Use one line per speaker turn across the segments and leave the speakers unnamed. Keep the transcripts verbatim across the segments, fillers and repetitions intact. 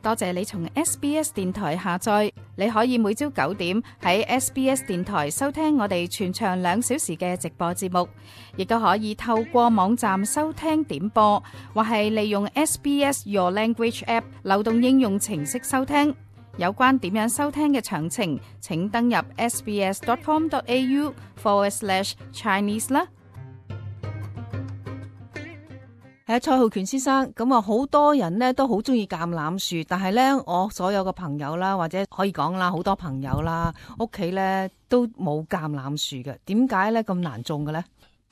多謝你從 S B S 電台下載，你可以每朝九點喺 S B S 電台收聽我哋全長兩小時嘅直播節目，亦都可以透過網站收聽點播，或係利用 S B S Your Language App 流動應用程式收聽。有關點樣收聽嘅詳情，請登入 sbs.com.au forward slash Chinese 啦。
係蔡浩權先生，咁啊好多人咧都好中意橄欖樹，但係咧我所有嘅朋友啦，或者可以講啦，好多朋友啦，屋企咧都冇橄欖樹嘅，點解咧咁難種嘅咧？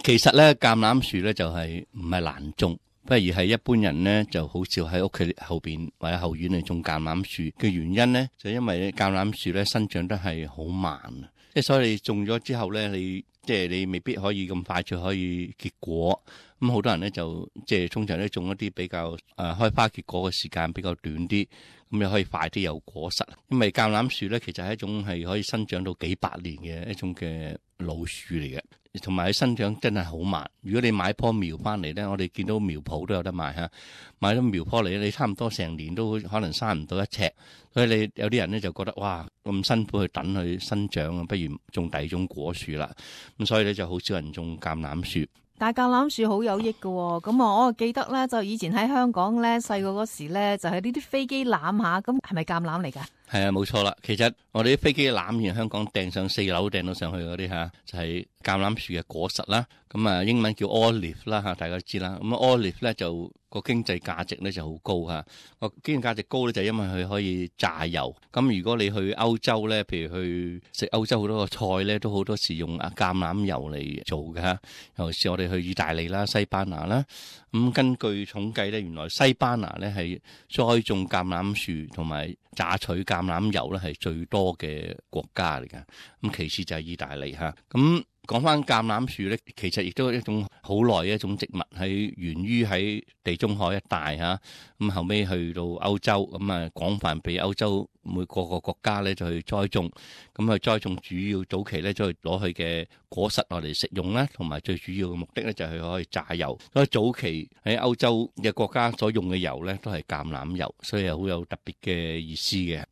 其實咧橄欖樹咧就係唔係難種，不如係一般人咧就好少喺屋企後邊或者後院嚟種橄欖樹嘅原因咧，就因為橄欖樹咧生長得係好慢啊，即係所以你種咗之後咧，你即係你未必可以咁快就可以結果。咁好多人咧就即係通常咧種一啲比較誒、呃、開花結果嘅時間比較短啲，咁又可以快啲有果實。因為橄欖樹咧其實係一種係可以生長到幾百年嘅一種嘅老樹嚟嘅，同埋佢生長真係好慢。如果你買棵苗翻嚟咧，我哋見到苗圃都有得賣嚇，買咗苗棵嚟你差唔多成年都可能生唔到一尺，所以你有啲人咧就覺得哇咁辛苦去等佢生長啊，不如種第二種果樹啦。咁所以咧就好少人種橄欖樹。
但橄欖樹好有益嘅，咁啊我記得咧就以前喺香港咧細個嗰時咧就係呢啲飛機欖下，咁係咪橄欖嚟噶？
係啊，冇錯啦。其實我哋啲飛機欖喺香港掟上四樓掟到上去嗰啲吓，就係橄欖樹嘅果實啦。咁啊英文叫 olive 啦吓，大家都知啦。咁 olive 咧就個經濟價值咧就好高吓，個經濟價值高咧就因為佢可以榨油。咁如果你去歐洲咧，譬如去食歐洲好多個菜咧，都好多時用啊橄欖油嚟做嘅吓。尤其是我哋去意大利啦、西班牙啦，咁根據統計咧，原來西班牙咧係栽種橄欖樹同埋榨取橄欖油咧係最多嘅國家嚟㗎。咁其次就係意大利吓。咁講翻橄欖樹咧，其實亦都係一種好耐嘅一種植物，係源於喺地中海一帶嚇，咁後尾去到歐洲，咁啊廣泛被歐洲每個個國家咧就去栽種，咁啊栽種主要早期咧就係攞佢嘅果實落嚟食用啦，同埋最主要嘅目的咧就係可以榨油。所以早期喺歐洲嘅國家所用嘅油咧都係橄欖油，所以係好有特別嘅意思嘅。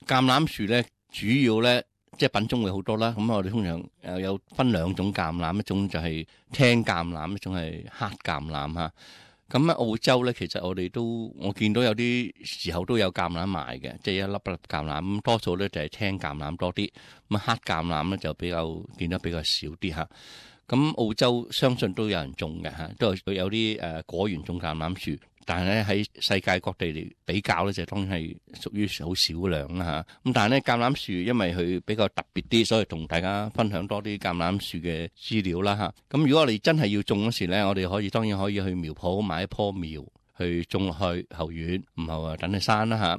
橄欖樹咧主要咧。即係品種會好多啦，咁我哋通常誒有分兩種橄欖，一種就係青橄欖，一種係黑橄欖嚇。咁喺澳洲咧，其實我哋都我見到有啲時候都有橄欖賣嘅，即係一粒一粒橄欖，咁多數咧就係青橄欖多啲，咁黑橄欖咧就比較見得比較少啲嚇。咁澳洲相信都有人種嘅嚇，都係有啲誒果園種橄欖樹。但係咧喺世界各地嚟比較咧，就當然係屬於好少量啦嚇。咁但係咧橄欖樹因為佢比較特別啲，所以同大家分享多啲橄欖樹嘅資料啦嚇。咁如果我哋真係要種嗰時咧，我哋可以當然可以去苗圃買一棵苗去種落去後院，唔係話等佢生啦嚇。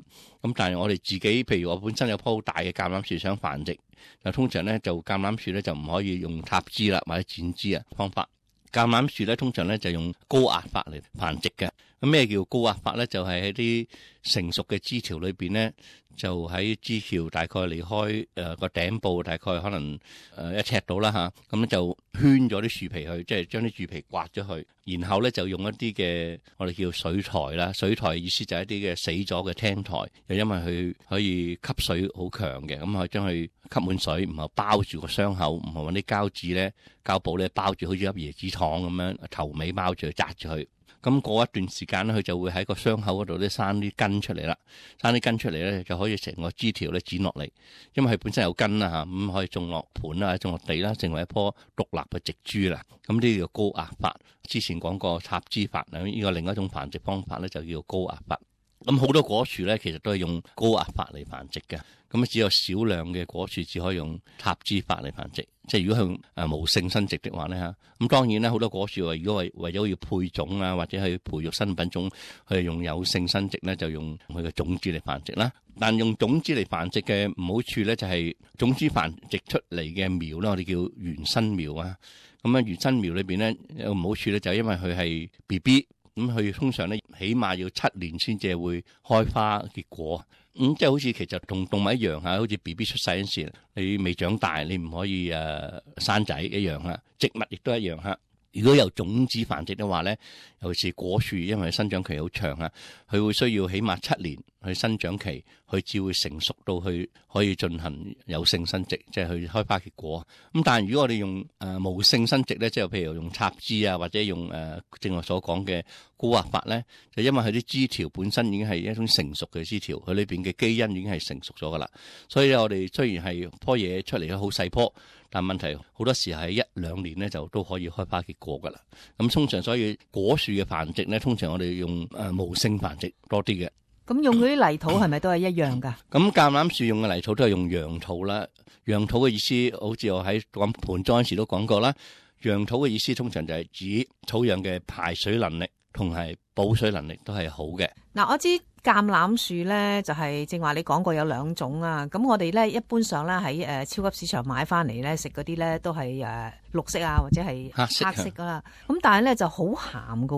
咁但係我哋自己，譬如我本身有棵好大嘅橄欖樹想繁殖，就通常咧就橄欖樹咧就唔可以用插枝啦或者剪枝啊方法。橄欖樹咧通常咧就用高壓法嚟繁殖嘅。咁咩叫高壓法咧？就係喺啲成熟嘅枝條裏邊咧，就喺枝條大概離開誒個頂部，大概可能誒一尺到啦吓，咁咧就圈咗啲樹皮去，即係將啲樹皮刮咗去，然後咧就用一啲嘅我哋叫水苔啦。水苔意思就係一啲嘅死咗嘅青苔，又因為佢可以吸水好強嘅，咁可以將佢吸滿水，然後包住個傷口，唔係揾啲膠紙咧、膠布咧包住，好似粒椰子糖咁樣頭尾包住，紮住佢。咁過一段時間咧，佢就會喺個傷口嗰度咧生啲根出嚟啦，生啲根出嚟咧就可以成個枝條咧剪落嚟，因為佢本身有根啦嚇，咁可以種落盤啦，種落地啦，成為一棵獨立嘅植株啦。咁呢個叫高壓法。之前講過插枝法啊，呢個另一種繁殖方法咧就叫高壓法。咁好多果樹咧，其實都係用高壓法嚟繁殖嘅。咁只有少量嘅果樹只可以用插枝法嚟繁殖。即係如果向誒無性生殖的話咧嚇，咁當然咧好多果樹話，如果為為咗要配種啊，或者去培育新品種，佢係用有性生殖咧，就用佢嘅種子嚟繁殖啦。但用種子嚟繁殖嘅唔好處咧，就係種子繁殖出嚟嘅苗咧，我哋叫原生苗啊。咁啊，原生苗裏邊咧有唔好處咧，就係因為佢係 B B。咁佢通常咧，起碼要七年先至會開花結果。咁、嗯、即係好似其實同動物一樣嚇，好似 B B 出世嗰時，你未長大，你唔可以誒、呃、生仔一樣嚇。植物亦都一樣嚇。如果有種子繁殖嘅話咧，尤其是果樹，因為生長期好長啊，佢會需要起碼七年去生長期，佢至會成熟到去可以進行有性生殖，即係去開花結果。咁但係如果我哋用誒、呃、無性生殖咧，即係譬如用插枝啊，或者用誒、呃、正話所講嘅古惑法咧，就因為佢啲枝條本身已經係一種成熟嘅枝條，佢裏邊嘅基因已經係成熟咗噶啦。所以我哋雖然係棵嘢出嚟咧好細棵，但問題好多時喺一兩年咧就都可以開花結果噶啦。咁通常所以果樹嘅繁殖咧，通常我哋用誒、呃、無性繁殖多啲嘅。
咁用嗰啲泥土係咪都係一樣噶？
咁橄欖樹用嘅泥土都係用楊土啦。楊土嘅意思，好似我喺講盆栽時都講過啦。楊土嘅意思通常就係指土壤嘅排水能力同埋保水能力都係好嘅。
嗱，我知橄欖樹咧就係正話你講過有兩種啊。咁我哋咧一般上咧喺誒超級市場買翻嚟咧食嗰啲咧都係誒綠色啊或者係黑色黑色噶啦。咁但係咧就好鹹噶。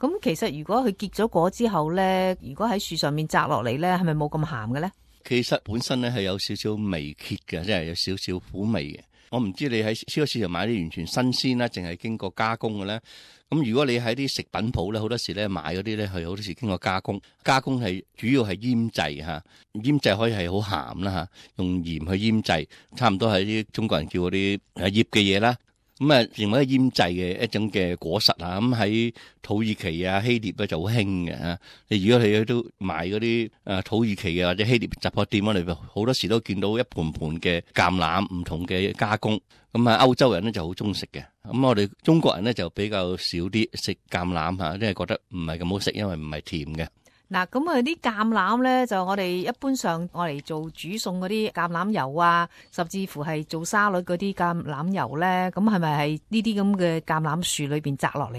咁其實如果佢結咗果之後咧，如果喺樹上面摘落嚟咧，係咪冇咁鹹嘅咧？其實
本身咧係有少少微蠍嘅，即係有少少苦味嘅。我唔知你喺超級市場買啲完全新鮮啦，淨係經過加工嘅咧。咁如果你喺啲食品鋪咧，好多時咧買嗰啲咧係好多時經過加工，加工係主要係醃製嚇，醃製可以係好鹹啦嚇，用鹽去醃製，差唔多係啲中國人叫嗰啲誒醃嘅嘢啦。咁啊，成為一個醃製嘅一種嘅果實啊，咁喺土耳其啊、希臘咧就好興嘅嚇。你如果你都買嗰啲誒土耳其嘅或者希臘雜貨店嗰度，好多時都見到一盤盤嘅橄欖唔同嘅加工。咁啊，歐洲人咧就好中意食嘅。咁我哋中國人咧就比較少啲食橄欖嚇，即係覺得唔係咁好食，因為唔係甜嘅。嗱，咁啊啲橄欖咧就我哋一般上我嚟做煮餸嗰啲橄欖油啊，甚至乎係做沙律嗰啲橄欖油咧，咁係咪係呢啲咁嘅橄欖樹裏邊摘落嚟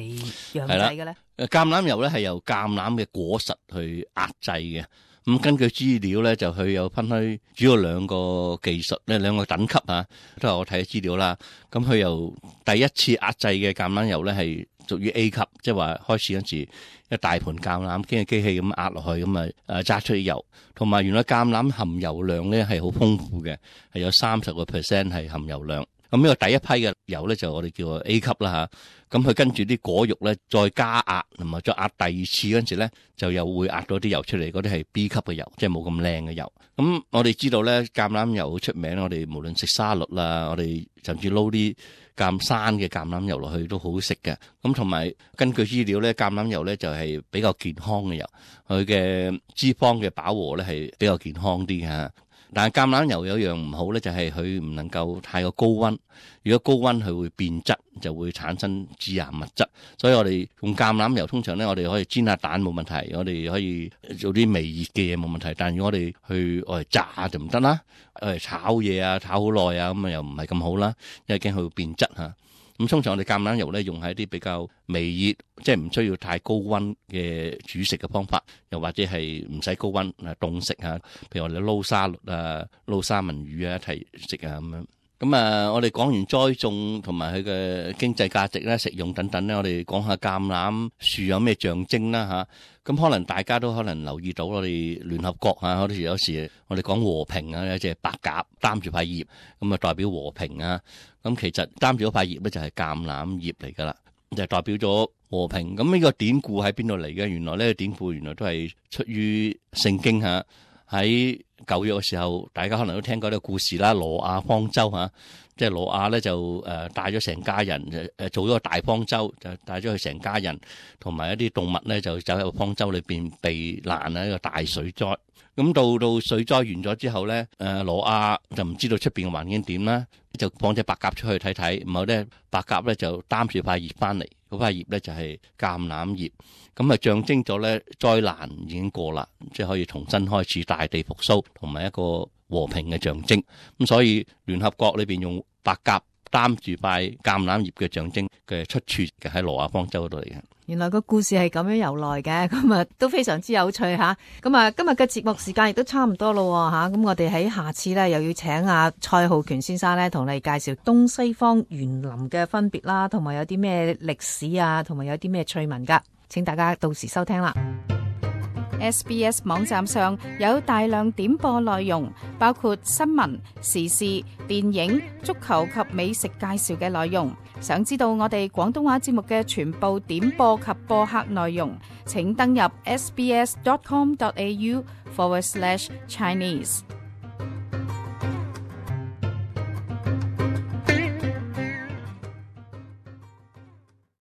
釀製嘅咧？誒，橄欖油咧係由橄欖嘅果實去壓製嘅。咁根據資料咧，就佢有分開主要兩個技術咧，兩個等級啊，都係我睇資料啦。咁佢由第一次壓製嘅橄欖油咧係屬於 A 級，即係話開始嗰時一大盤橄欖經過機器咁壓落去，咁啊誒榨出啲油，同埋原來橄欖含油量咧係好豐富嘅，係有三十個 percent 係含油量。咁呢個第一批嘅油咧就我哋叫 A 級啦吓。咁佢跟住啲果肉咧再加壓，同埋再壓第二次嗰陣時咧，就又會壓到啲油出嚟，嗰啲係 B 級嘅油，即係冇咁靚嘅油。咁我哋知道咧，橄欖油好出名，我哋無論食沙律啦，我哋甚至撈啲橄山嘅橄欖油落去都好好食嘅。咁同埋根據資料咧，橄欖油咧就係比較健康嘅油，佢嘅脂肪嘅飽和咧係比較健康啲嘅。但係橄欖油有樣唔好咧，就係佢唔能夠太過高溫。如果高溫佢會變質，就會產生致癌物質。所以我哋用橄欖油通常咧，我哋可以煎下蛋冇問題，我哋可以做啲微熱嘅嘢冇問題。但係如果我哋去我嚟炸就唔得啦，我嚟炒嘢啊，炒好耐啊，咁啊又唔係咁好啦，因為驚佢會變質嚇。咁通常我哋橄欖油咧用喺一啲比較微熱，即係唔需要太高溫嘅煮食嘅方法，又或者係唔使高溫啊凍食啊，譬如我哋撈沙律啊、撈三文魚啊一齊食啊咁樣。咁啊，我哋講完栽種同埋佢嘅經濟價值咧、食用等等咧，我哋講下橄欖樹有咩象徵啦嚇。咁可能大家都可能留意到，我哋聯合國啊，有時有時我哋講和平啊，有隻白鴿擔住塊葉，咁啊代表和平啊。咁其實擔住嗰塊葉咧就係橄欖葉嚟噶啦，就係代表咗和平。咁呢個典故喺邊度嚟嘅？原來呢個典故原來都係出於聖經嚇。喺舊約嘅時候，大家可能都聽過呢個故事啦。挪亞方舟嚇，即係挪亞咧就誒帶咗成家人誒做咗個大方舟，就帶咗佢成家人同埋一啲動物咧就走喺個方舟裏邊避難啊！一個大水災。咁到到水災完咗之後咧，誒挪亞就唔知道出邊嘅環境點啦，就放隻白鴿出去睇睇，然後咧白鴿咧就擔住塊葉翻嚟，嗰塊葉咧就係橄欖葉，咁啊象徵咗咧災難已經過啦，即係可以重新開始大地復甦，同埋一個和平嘅象徵。咁所以聯合國裏邊用白鴿擔住塊橄欖葉嘅象徵嘅出處嘅喺挪亞方舟嗰度嚟嘅。原來個故事係咁樣由來嘅，咁啊都非常之有趣吓。咁啊今日嘅節目時間亦都差唔多咯吓，咁我哋喺下次咧又要請阿蔡浩權先生咧同你介紹東西方園林嘅分別啦，同埋有啲咩歷史啊，同埋有啲咩趣聞噶，請大家到時收聽啦。
S B S 網站上有大量點播內容，包括新聞、時事、電影、足球及美食介紹嘅內容。想知道我哋廣東話節目嘅全部點播及播客內容，請登入 sbs.com.au forward slash Chinese。